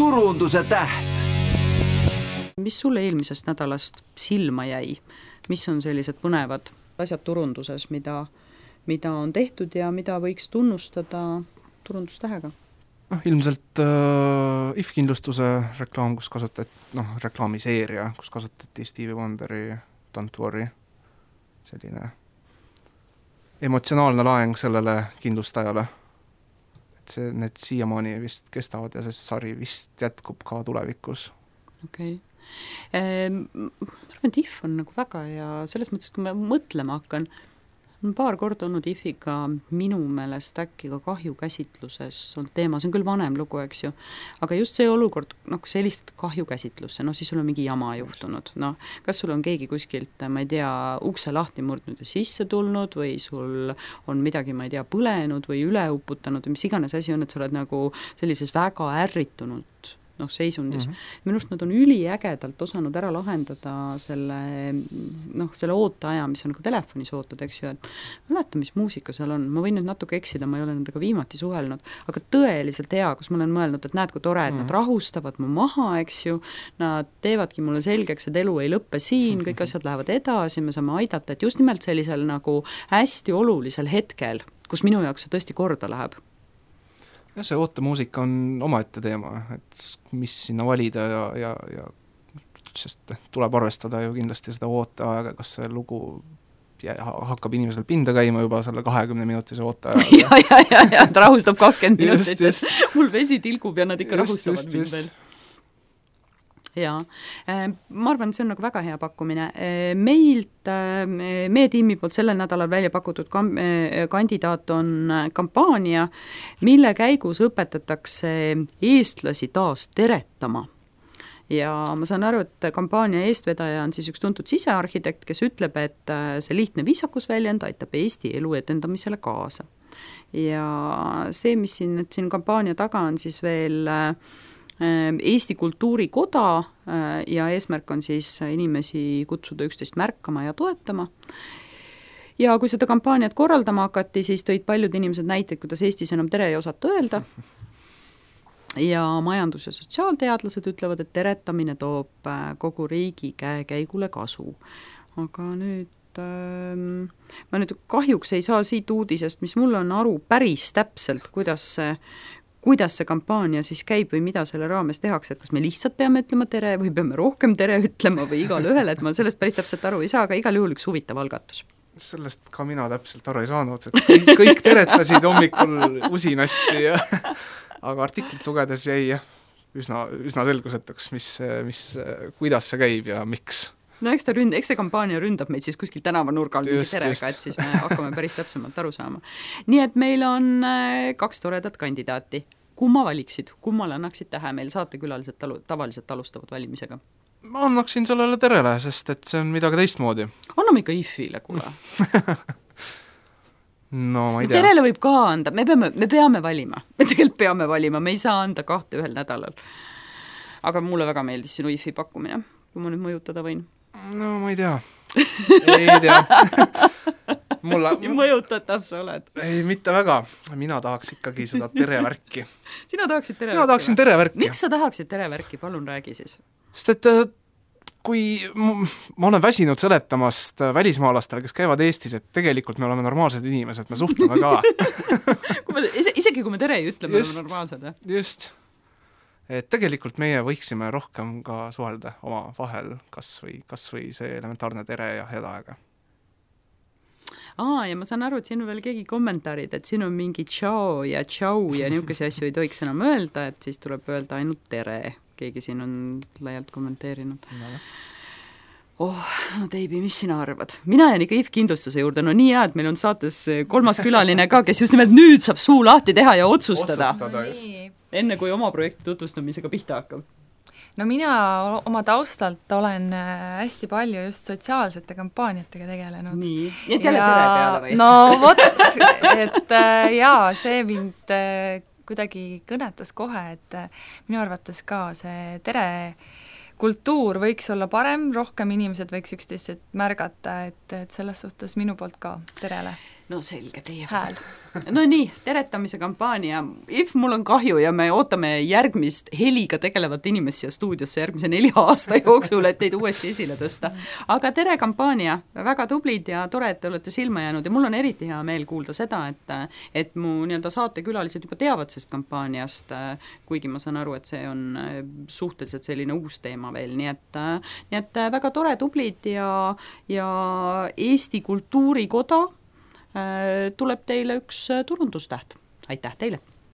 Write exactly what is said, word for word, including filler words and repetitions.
turunduse täht. Mis sulle eelmisest nädalast silma jäi? Mis on sellised põnevad asjad turunduses, mida, mida on tehtud ja mida võiks tunnustada turundustähega? noh, ilmselt äh, I F-kindlustuse reklaam, kus kasutati, noh, reklaamiseeria, kus kasutati Stevie Wonderi Don't Worry, selline emotsionaalne laeng sellele kindlustajale. Et see, need siiamaani vist kestavad ja see sari vist jätkub ka tulevikus. Okei. Okay. Ma arvan, et I F on nagu väga ja selles mõttes, kui me mõtlema hakkan, on paar korda olnud I F-iga minu meelest äkki ka kahjukäsitluses on teema, see on küll vanem lugu, eks ju, aga just see olukord, noh, kui sa helistad kahjukäsitlusse, noh, siis sul on mingi jama juhtunud, noh, kas sul on keegi kuskilt, ma ei tea, ukse lahti murdnud ja sisse tulnud või sul on midagi, ma ei tea, põlenud või üle uputanud või mis iganes asi on, et sa oled nagu sellises väga ärritunud noh, seisundis. Mm -hmm. Minust nad on üliägedalt osanud ära lahendada selle, noh, selle ooteaja, mis on nagu telefonis ootad, eks ju, et mäleta, mis muusika seal on. Ma võin nüüd natuke eksida, ma ei ole nendega viimati suhelnud, aga tõeliselt hea, kus ma olen mõelnud, et näed, kui tore, et mm -hmm. nad rahustavad mu maha, eks ju, nad teevadki mulle selgeks, et elu ei lõppe siin, kõik asjad lähevad edasi, me saame aidata, et just nimelt sellisel nagu hästi olulisel hetkel, kus minu jaoks see tõesti korda läheb. Ja see ootemuusika on omaette teema, et mis sinna valida ja, ja, ja sest tuleb arvestada ju kindlasti seda ooteaega, kas see lugu hakkab inimesel pinda käima juba selle kahekümne minutise ooteajaga. ja, ja, ja, ja, ta rahustab kakskümmend minutit, just, just. et mul vesi tilgub ja nad ikka just, rahustavad just, mind just. veel. Jaa, ma arvan, et see on nagu väga hea pakkumine. Meilt, meie tiimi poolt sellel nädalal välja pakutud kandidaat on kampaania, mille käigus õpetatakse eestlasi taas teretama. Ja ma saan aru, et kampaania eestvedaja on siis üks tuntud sisearhitekt, kes ütleb, et see lihtne viisakusväljend aitab Eesti elu etendamisele kaasa. Ja see, mis siin, et siin kampaania taga on siis veel Eesti Kultuurikoda ja eesmärk on siis inimesi kutsuda üksteist märkama ja toetama. Ja kui seda kampaaniat korraldama hakati, siis tõid paljud inimesed näiteid, kuidas Eestis enam tere ei osata öelda. Ja majandus- ja sotsiaalteadlased ütlevad, et teretamine toob kogu riigi käekäigule kasu. Aga nüüd ma nüüd kahjuks ei saa siit uudisest, mis mul on aru päris täpselt, kuidas see kuidas see kampaania siis käib või mida selle raames tehakse, et kas me lihtsalt peame ütlema tere või peame rohkem tere ütlema või igal ühel, et ma sellest päris täpselt aru ei saa, aga igal juhul üks huvitav algatus. Sellest ka mina täpselt aru ei saanud, et kõik, kõik teretasid hommikul usinasti, ja, aga artiklit lugedes jäi üsna, üsna selgusetuks, mis, mis, kuidas see käib ja miks. No eks, ta ründ, eks see kampaania ründab meid siis kuskil tänavanurgal mingi terega, et siis me hakkame päris täpsemalt aru saama. Nii et meil on kaks toredat kandidaati. Kumma valiksid? Kummale annaksid tähe? Meil saatekülalised talu, tavaliselt alustavad valimisega. Ma annaksin sellele terele, sest et see on midagi teistmoodi. Anname ikka I F-ile, kuule. No ma ei tea. Terele võib ka anda. Me peame, me peame valima. Me tegelikult peame valima. Me ei saa anda kahte ühel nädalal. Aga mulle väga meeldis sinu I F-i pakkumine, kui ma nüüd mõjutada võin. No ma ei tea. Ei tea. Mulla... Nii mõjutatav sa oled. Ei, mitte väga. Mina tahaks ikkagi seda terevärki. Sina tahaksid terevärki? Mina tahaksin terevärki. Miks sa tahaksid terevärki? Palun räägi siis. Sest et kui ma olen väsinud seletamast välismaalastele, kes käivad Eestis, et tegelikult me oleme normaalsed inimesed, me suhtleme ka. kui me, isegi kui me tere ei ütle, me oleme normaalsed. Just. Et tegelikult meie võiksime rohkem ka suhelda oma vahel, kas või, kas või see elementaarne tere ja head aega. Aa, ja ma saan aru, et siin on veel keegi kommentaarid, et siin on mingi tšau ja tšau ja niisuguse asju ei tohiks enam öelda, et siis tuleb öelda ainult tere. Keegi siin on laialt kommenteerinud. No. Oh, no Teibi, mis sina arvad? Mina jään ikka I F-kindlustuse juurde. No nii hea, et meil on saates kolmas külaline ka, kes just nimelt nüüd saab suu lahti teha ja otsustada. Otsustada just. Enne kui oma projekti tutvustamisega pihta hakkab. No mina oma taustalt olen hästi palju just sotsiaalsete kampaaniatega tegelenud. Nii, ja jälle tere peale või? No vot, et jaa, see mind kuidagi kõnetas kohe, et minu arvates ka see tere kultuur võiks olla parem, rohkem inimesed võiks üksteist märgata, et, et selles suhtes minu poolt ka terele. no selge, teie hääl. No nii, teretamise kampaania. If mul on kahju ja me ootame järgmist heliga tegelevat inimest siia stuudiosse järgmise nelja aasta jooksul, et teid uuesti esile tõsta. Aga tere kampaania, väga tublid ja tore, et te olete silma jäänud ja mul on eriti hea meel kuulda seda, et, et mu nii-öelda saatekülalised juba teavad sellest kampaaniast, kuigi ma saan aru, et see on suhteliselt selline uus teema veel, nii et, nii et väga tore, tublid ja, ja Eesti Kultuurikoda tuleb teile üks turundustäht. Aitäh teile!